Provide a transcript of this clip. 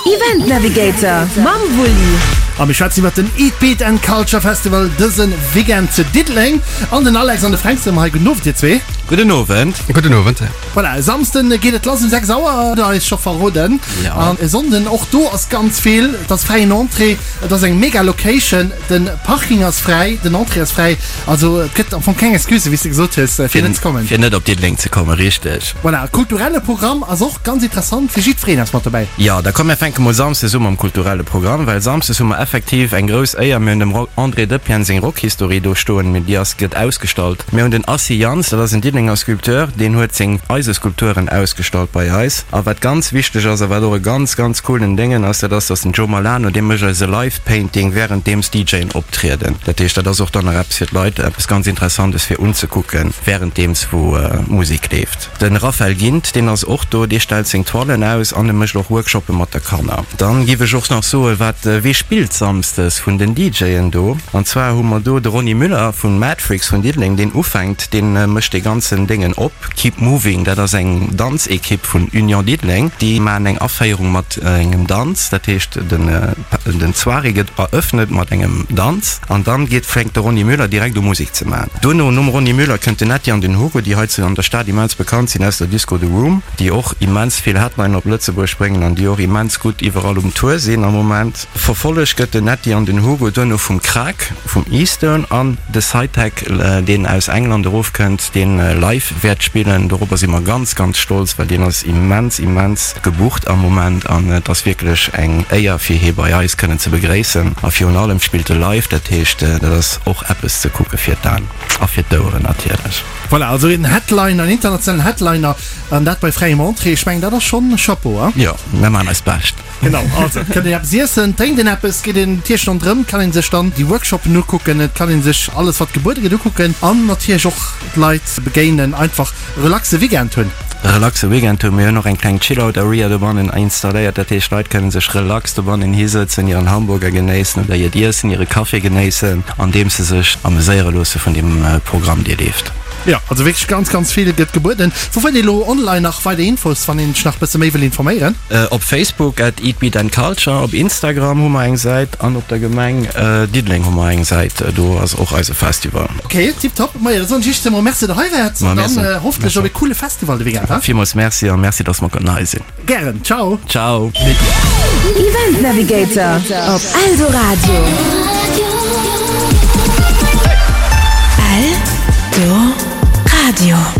Event Navigator mam Wulli. A mir schwätzen iwwert den Eat Beat and Culture Festival dëse Weekend zu Diddeleng. An den Alex an de Fränk sinn hei. Gudden Owend dir zwee. Gudden Owend. Gudden Owend. Voilà, e Samsden geet et lass um 6 Auer, hutt der eis scho verroden. Ja. An e Sonnden, och do ass ganz vill. Et ass fräien Entrée, et ass eng mega Location, de Parking ass fräi, den Entrée ass fräi. Also et gëtt am Fong keng Excuse, wéi s de gesot hues, fir net ze kommen. Fir net op Diddeleng ze kommen, richteg. Voilà, kulturelle Programm ass och ganz interessant, fir jiddwereen ass mat dobäi. Jo, da komm mir fänke mol Samsdes u mam kulturelle Programm, well Samsdes hu mer effektiv eng grouss Éier, mir hunn dem André Depienne seng Rockhistorie do stoen, mee déi ass, gëtt ausgestallt. Mir hunn den Assy Jans, dat ass en Diddelenger Sculpteur, deen huet seng Eiseskulpturen ausgestallt bei eis. A wat ganz wichteg ass a wat och e ganz, ganz coolen Déngen ass, dat ass, dass den Joe Malano, dee mécht eis e Live Painting wärenddeems d'DJen optrieden. Dat heescht, dat ass och dann nach eppes fir d'Leit, eppes ganz Interessantes fir unzekucken, wärenddeems wou Musek leeft. De Raphael Gindt, deen ass och do, dee stellt seng Toilen aus an e mécht och Workshoppe mat de Kanner. Dann giff ech och nach soen, wat, wee spillt samsdes vun den DJen do? An zwar hu mer do de Ronny Müller vun Madfreaks vun Diddeleng, deen ufänkt, deen mécht dee ganzen Déngen op. Keep Moving, dat ass eng Danzekipp vun Union Diddeleng, déi maachen eng Aféierung mat engem Danz, dat heescht den den Soirée gëtt eröffnet mat engem Danz an dann geet fänkt de Ronny Müller direkt u Musek ze maachen. Duerno, nom Ronny Müller, kënnt den Netty an den Hugo, déi hei zu an der Stad immens bekannt sinn aus der Disco The Room, déi och immens vill Headliner op Lëtzebuerg bréngen an déi och immens gutt iwwerall um Tour sinn am Moment. Verfollegt gëtt den Netty an den Hugo duerno vum Kraak vum Eastern an de Cytec, deen aus England erofkënnt, deen live wäert spillen. Dorobber si mer ganz, ganz stolz, well deen ass immens, immens gebucht am Moment an et ass wierklech eng Éier fir hie bei eis kënnen ze begréissen. A virun allem spillt e live, dat heescht dat ass och eppes ze kucke fir d'Aen a fir d'Oueren natierlech. Voilà, also een Headliner, een internationalen Headliner an dat bei fräiem Entrée. Ech mengen dat ass schonn Chapeau, hein? Jo, mir maachen eist Bescht. Genau, also et kënnt een eppes iessen, drénkt een eppes, geet een natierlech ronderëm, kann een sech dann déi Workshoppen ukucken, et kann een sech alles wat gebuede gëtt ukucken an natierlech och d'Leit begéinen, einfach e relaxe Weekend hunn. E relaxe Weekend hunn. Mir hunn och eng kleng Chill-Out Area dobannen installéiert, dat heescht d'Leit kënnen sech relax dobannen hisëtzen, hiren Hamburger genéissen oder hiert Iessen, hire Café genéissen, andeems se sech ameséiere loosse vun deem Programm dee leeft. Jo, also wierklech ganz, ganz vill gëtt gebueden. Wou fënnt ee lo online nach weider Infos, wann een sech nach bësse méi wëll informéieren? Op Facebook at Eat Beat and Culture, op Instagram hu mer eng Säit an op der Gemeng Diddeleng hu mer eng Säit, do ass och eise Festival. Ok, tiptop. Majo, da soen ech iech zemol Merci, datt der hei waart an dann hoffentlech op e coole Festival de Weekend, ha? Villmools Merci a Merci, datt mer konnten hei sinn. Gären. Ciao. Ciao. Event Navigator op Eldoradio. Eldoradio.